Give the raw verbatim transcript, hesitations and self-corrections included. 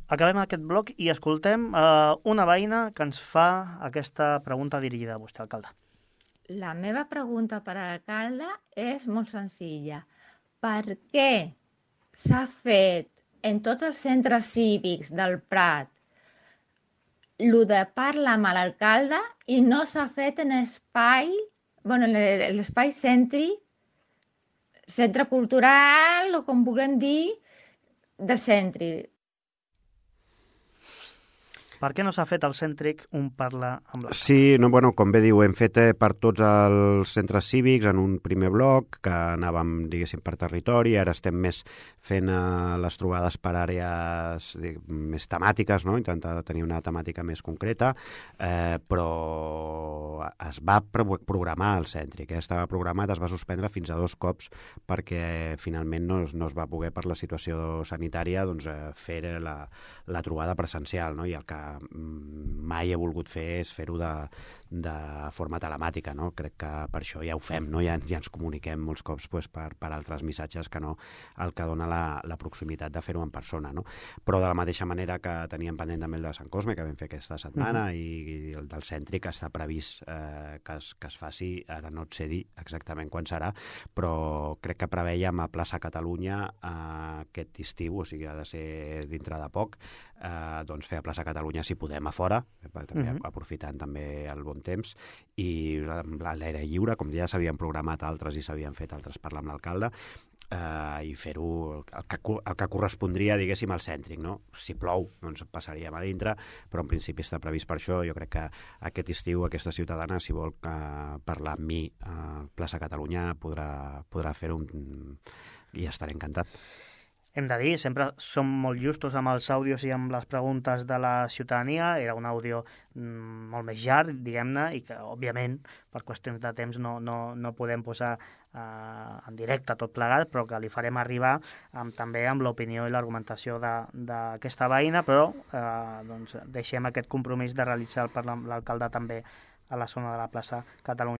Acabem aquest bloc i escoltem uh, una veïna que ens fa aquesta pregunta dirigida a vostè, alcalde. La meva pregunta per a l'alcalde és molt senzilla. Per què s'ha fet en tots els centres cívics del Prat el de parlar amb l'alcalde i no s'ha fet en espai, bueno, en l'espai centri, centre cultural o com vulguem dir, del centre? Per què no s'ha fet al cèntric un parlar amb l'alcalde? Sí, no, bueno, com bé diu, hem fet eh, per tots els centres cívics en un primer bloc, que anàvem, diguéssim, per territori, ara estem més fent eh, les trobades per àrees dic, més temàtiques, no? Intentar tenir una temàtica més concreta, eh, però es va pro programar el cèntric, eh? Estava programat, es va suspendre fins a dos cops perquè finalment no es, no es va poder, per la situació sanitària, doncs, eh, fer la, la trobada presencial, no? I el que mai he volgut fer és fer-ho de, de forma telemàtica, no? Crec que per això ja ho fem, no? Ja, ja ens comuniquem molts cops pues, per, per altres missatges que no el que dona la, la proximitat de fer-ho en persona, no? Però de la mateixa manera que teníem pendent també el de Sant Cosme, que vam fer aquesta setmana, uh -huh. i, i el del cèntric està previst eh, que, es, que es faci, ara no et sé dir exactament quan serà, però crec que preveiem a Plaça Catalunya eh, aquest estiu, o sigui, ha de ser dintre de poc, eh, doncs fer a Plaça Catalunya si podem a fora, també uh -huh. aprofitant també el bon temps, i l'aire lliure, com ja s'havien programat altres i s'havien fet altres parlar amb l'alcalde, eh, i fer-ho el, que, el que correspondria, diguéssim, al cèntric, no? Si plou, doncs passaríem a dintre, però en principi està previst per això. Jo crec que aquest estiu aquesta ciutadana, si vol eh, parlar amb mi a Plaça Catalunya, podrà, podrà fer-ho i estaré encantat. Hem de dir, sempre som molt justos amb els àudios i amb les preguntes de la ciutadania. Era un àudio mm, molt més llarg, diguem-ne, i que, òbviament, per qüestions de temps no, no, no podem posar eh, en directe tot plegat, però que li farem arribar amb, també amb l'opinió i l'argumentació d'aquesta veïna, però eh, doncs, deixem aquest compromís de realitzar el parlar amb l'alcalde també a la zona de la plaça Catalunya.